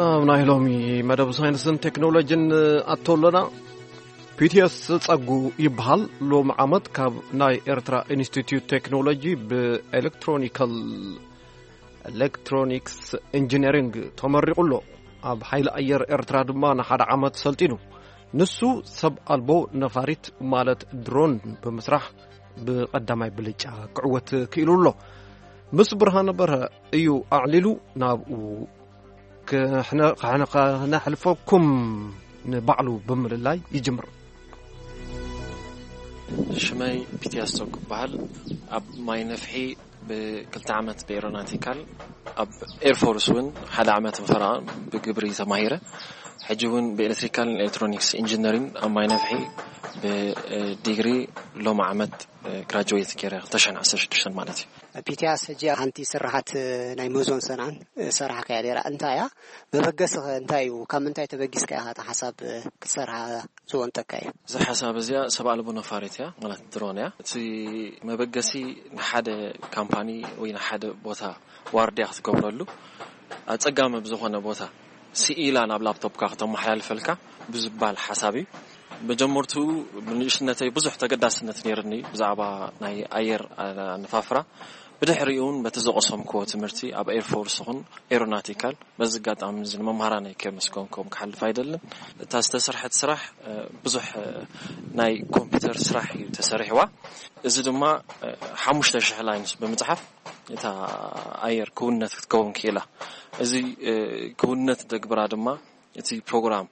ኣብ ናይ ሎሚ መደብ ሳይንስን ቴክኖሎጂን ኣቶ ኣለና። ፒቲኤስ ጸጉ ይበሃል። ሎም ዓመት ካብ ናይ ኤርትራ ኢንስቲትዩት ቴክኖሎጂ ብኤሌክትሮኒካል፣ ኤሌክትሮኒክስ ኢንጂነሪንግ ተመሪቑ ኣሎ። ኣብ ሓይሊ ኣየር ኤርትራ ድማ ንሓደ ዓመት ሰልጢኑ። ንሱ ሰብ ኣልቦ ነፋሪት ማለት ድሮን ብምስራሕ ብቐዳማይ ብልጫ ክዕወት ክኢሉ ኣሎ። ምስ ብርሃነ በርሀ እዩ ኣዕሊሉ። ናብኡ ክሕነ- ክሕነ- ከነሕልፈኩም ንባዕሉ ብምልላይ ይጅምር። ሽመይ ፒቲያስ ቶክ ይበሃል። ኣብ ማይ ነፍሒ ብክልተ ዓመት ብኤሮናቲካል፣ ኣብ ኤርፎርስ እውን ሓደ ዓመት ፈረቓ ብግብሪ ተማሂረ። ሕጂ እውን ብኤሌክትሪካል ኤሌክትሮኒክስ ኢንጂነሪንግ ኣብ ማይ ነፍሒ ብዲግሪ ሎም ዓመት ግራጅዌት ገይረ፣ ክልተ ሽሕን ዓሰርተ ሽዱሽተን ማለት እዩ። ፒቲያስ፣ ሕጂ ሓንቲ ስራሓት ናይ መዞን ሰንዓን ሰራሕካያ ነይራ፣ እንታይ እያ? መበገስኸ እንታይ እዩ? ካብ ምንታይ ተበጊስካ ኢኻ እታ ሓሳብ ክትሰርሓ ዝወንጠካ እዩ? እዛ ሓሳብ እዚኣ ሰብ ኣልቦ ነፋሪት እያ፣ ማለት ድሮን እያ። እቲ መበገሲ ንሓደ ካምፓኒ ወይ ንሓደ ቦታ ዋርድያ ክትገብረሉ፣ ኣጸጋሚ ብዝኾነ ቦታ ስኢላ ናብ ላፕቶፕካ ክተመሓላልፈልካ ብዝባል ሓሳብ እዩ። መጀመርቱ ብንእሽነተይ ብዙሕ ተገዳስነት ነይርኒ ብዛዕባ ናይ ኣየር ኣነፋፍራ። ብድሕሪኡ እውን በቲ ዘቐሰምክዎ ትምህርቲ ኣብ ኤርፎርስ ይኹን ኤሮናቲካል፣ በዚ ኣጋጣሚ እዚ ንመምሃራነይ ከመስገንኩም ክሓልፍ ኣይደልን። እታ ዝተሰርሐት ስራሕ ብዙሕ ናይ ኮምፒውተር ስራሕ እዩ ተሰሪሕዋ። እዚ ድማ ሓሙሽተ ሽሕ ላይንስ ብምፅሓፍ እታ ኣየር ክውነት ክትከውን ክኢላ። እዚ ክውነት ደግብራ ድማ እቲ ፕሮግራም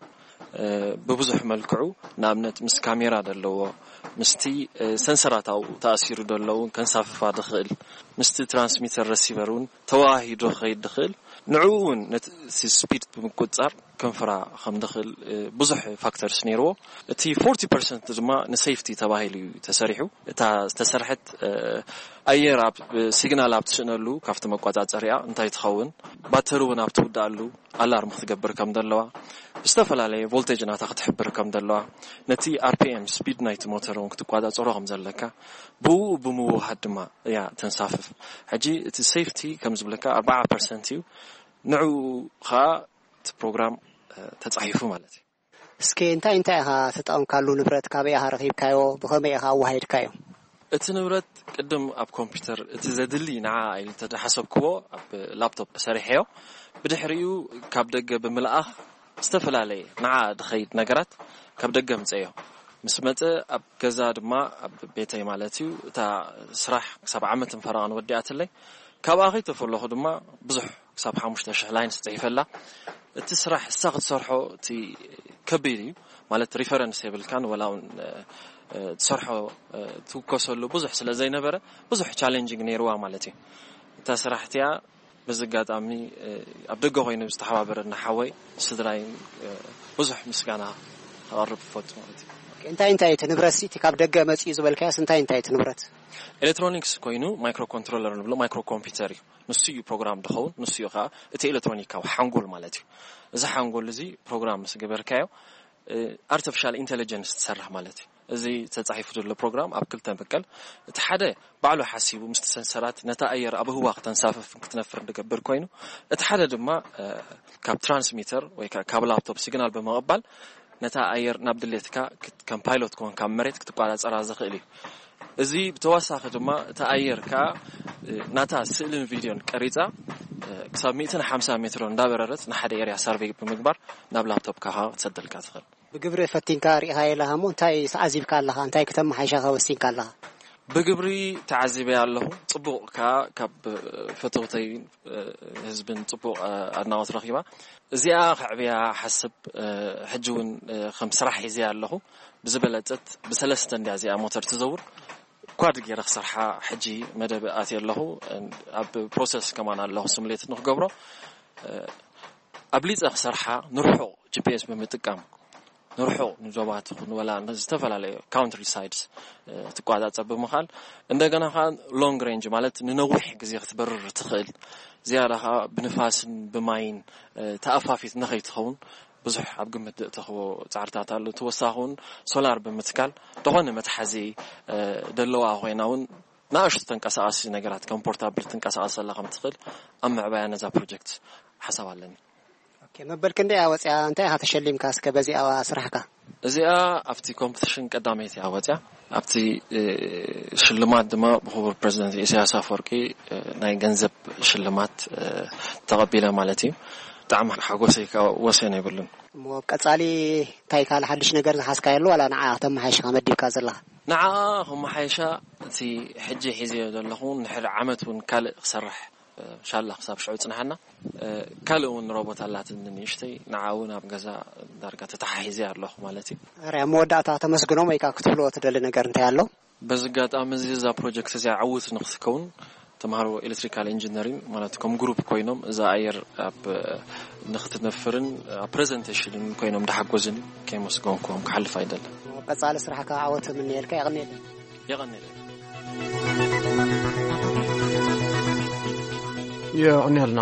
ብብዙሕ መልክዑ፣ ንኣብነት ምስ ካሜራ ዘለዎ፣ ምስቲ ሰንሰራታው ተኣሲሩ ዘሎ እውን ከንሳፍፋ ድኽእል፣ ምስቲ ትራንስሚተር ረሲቨር እውን ተወሃሂዶ ክኸይድ ድኽእል፣ ንዕኡ እውን ነቲ ስፒድ ብምቁፅፃር ከንፍራ ከም ድኽእል ብዙሕ ፋክተርስ ነይርዎ። እቲ ፎርቲ ፐርሰንት ድማ ንሴፍቲ ተባሂሉ እዩ ተሰሪሑ። እታ ዝተሰርሐት ኣየር ኣብ ሲግናል ኣብ ትስእነሉ ካብቲ መቆጻጸሪኣ እንታይ ትኸውን፣ ባተሪ እውን ኣብ ትውድኣሉ ኣላርም ክትገብር ከም ዘለዋ፣ ብዝተፈላለየ ቮልቴጅ ናታ ክትሕብር ከም ዘለዋ፣ ነቲ ኣርፒኤም ስፒድ ናይቲ ሞተር እውን ክትቆጻጸሮ ከም ዘለካ፣ ብኡ ብምውሃድ ድማ እያ ተንሳፍፍ። ሕጂ እቲ ሴፍቲ ከም ዝብለካ ኣርባዓ ፐርሰንት እዩ። ንዕኡ ኸኣ እቲ ፕሮግራም ተጻሒፉ ማለት እዩ። እስኪ እንታይ እንታይ ኢኻ ተጠቐምካሉ ንብረት? ካበይ ኢኻ ረኺብካዮ? ብኸመይ ኢኻ ኣወሃሂድካዮ? እቲ ንብረት ቅድም ኣብ ኮምፒውተር እቲ ዘድሊ ንዓ ኢሉ ተደሓሰብክዎ ኣብ ላፕቶፕ ሰሪሐዮ። ብድሕሪኡ ካብ ደገ ብምልኣኽ ዝተፈላለየ ንዓ ድኸይድ ነገራት ካብ ደገ ምጸዮ። ምስ መጸ ኣብ ገዛ ድማ ኣብ ቤተይ ማለት እዩ እታ ስራሕ ክሳብ ዓመትን ፈረቓን ወዲኣትለይ። ካብኣ ከይተፈለኹ ድማ ብዙሕ ክሳብ ሓሙሽተ ሽሕ ላይንስ ጽሒፈላ። እቲ ስራሕ እሳ ክትሰርሖ እቲ ከቢድ እዩ ማለት ሪፈረንስ የብልካን ወላ እውን ትሰርሖ ትውከሰሉ ብዙሕ ስለ ዘይነበረ ብዙሕ ቻሌንጂንግ ነይርዋ ማለት እዩ። እታ ስራሕ እቲኣ በዚ ኣጋጣሚ ኣብ ደገ ኮይኑ ዝተሓባበረና ሓወይ ስድራይ ብዙሕ ምስጋና ከቐርብ እፈቱ ማለት እዩ። እንታይ እንታይ እቲ ንብረት እቲ ካብ ደገ መፅኡ ዝበልካዮስ እንታይ እንታይ እቲ ንብረት? ኤሌክትሮኒክስ ኮይኑ ማይክሮ ኮንትሮለር ንብሎ ማይክሮ ኮምፒውተር እዩ። ንሱ እዩ ፕሮግራም ድኸውን፣ ንሱ እዩ ከዓ እቲ ኤሌክትሮኒካዊ ሓንጎል ማለት እዩ። እዚ ሓንጎል እዚ ፕሮግራም ምስ ገበርካዮ ኣርቲፊሻል ኢንቴሊጀንስ ትሰርሕ ማለት እዩ። እዚ ተፃሒፉ ዘሎ ፕሮግራም ኣብ ክልተ ምቀል። እቲ ሓደ ባዕሉ ሓሲቡ ምስቲ ሰንሰራት ነታ ኣየር ኣብ ህዋ ክተንሳፍፍ ክትነፍር ንገብር ኮይኑ፣ እቲ ሓደ ድማ ካብ ትራንስሚተር ወይ ካብ ላፕቶፕ ሲግናል ብምቕባል ነታ ኣየር ናብ ድሌትካ ከም ፓይሎት ኮንካ መሬት ክትቋዳፀራ ዝኽእል እዩ። እዚ ብተወሳኺ ድማ እቲ ኣየር ከዓ ናታ ስእልን ቪድዮን ቀሪፃ ክሳብ ሚእትን ሓምሳ ሜትሮ እንዳበረረት ንሓደ ኤርያ ሳርቬይ ብምግባር ናብ ላፕቶፕካ ክትሰደልካ ትኽእል። ብግብሪ ፈቲንካ ርኢኻ የለኻ እሞ እንታይ ተዓዚብካ ኣለኻ? እንታይ ክተመሓይሻ ወሲንካ ኣለኻ? ብግብሪ ተዓዚበ ኣለኹ። ጽቡቕ ከኣ ካብ ፈተውተይ ህዝብን ጽቡቕ ኣድናቖት ረኺባ። እዚኣ ከዕብያ ሓስብ ሕጂ እውን ከም ስራሕ ሒዘ ኣለኹ። ብዝበለጸት ብሰለስተ እንድያ እዚኣ ሞተር ትዘውር። ኳድ ገይረ ክሰርሓ ሕጂ መደብ ኣትየ ኣለኹ። ኣብ ፕሮሰስ ከማን ኣለኹ ስምሌት ንክገብሮ። ኣብሊፀ ክሰርሓ ንርሑቕ ጂፒኤስ ብምጥቃም ንርሑቕ ንዞባት ይኹን ወላ ዝተፈላለዩ ካውንትሪ ሳይድስ ትቋፃፀር ብምኻል እንደገና ከዓ ሎንግ ሬንጅ ማለት ንነዊሕ ግዜ ክትበርር ትኽእል ዝያዳ ከዓ ብንፋስን ብማይን ተኣፋፊት ንኸይትኸውን ብዙሕ ኣብ ግምት ዘእተኽዎ ፃዕርታት ኣሎ። ተወሳኺ እውን ሶላር ብምትካል ዝኾነ መትሓዚ ደለዋ ኮይና እውን ንኣሽቱ ተንቀሳቐሲ ነገራት ከም ፖርታብል ትንቀሳቐሰላ ከም ትኽእል ኣብ ምዕባያ ነዛ ፕሮጀክት ሓሳብ ኣለኒ። መበል ክንደይ እያ ወፂኣ? እንታይ ኢኻ ተሸሊምካ እስከ በዚኣ ስራሕካ? እዚኣ ኣብቲ ኮምፒቲሽን ቀዳመይቲ እያ ወፂኣ። ኣብቲ ሽልማት ድማ ብክቡር ፕሬዚደንት ኢሳያስ ኣፈወርቂ ናይ ገንዘብ ሽልማት ተቐቢለ ማለት እዩ። ብጣዕሚ ሓጎሰይ ከዓ ወሰን የብሉን። እሞ ቀፃሊ እንታይ ካልእ ሓድሽ ነገር ዝሓዝካዮ ኣሎ ዋላ ንዓ ከተመሓይሽካ መዲብካ ዘለኻ? ንዓ ከመሓይሻ እቲ ሕጂ ሒዘዮ ዘለኹ እውን ንድሕሪ ዓመት እውን ካልእ ክሰርሕ ሻላ ክሳብ ሽዑ ፅንሓና ካልእ እውን ሮቦት ኣላትኒ ንእሽተይ ንዓ እውን ኣብ ገዛ ዳርጋ ተተሓሒዘ ኣለኹ ማለት እዩ። ርያ መወዳእታ ተመስግኖም ወይካ ክትብልዎ ትደሊ ነገር እንታይ ኣሎ? በዚ ኣጋጣሚ እዚ እዛ ፕሮጀክት እዚኣ ዕውት ንክትከውን ተምሃሮ ኤሌክትሪካል ኢንጂነሪንግ ማለት ከም ግሩፕ ኮይኖም እዛ ኣየር ኣብ ንክትነፍርን ኣብ ፕሬዘንቴሽንን ኮይኖም እንዳሓጎዝን ከይመስገንኩም ክሓልፍ ኣይደልን። ቀፃሊ ስራሕካ ዓወት ምንየልካ። የቐንየለይ። የቐንየለይ። የቐንየልና።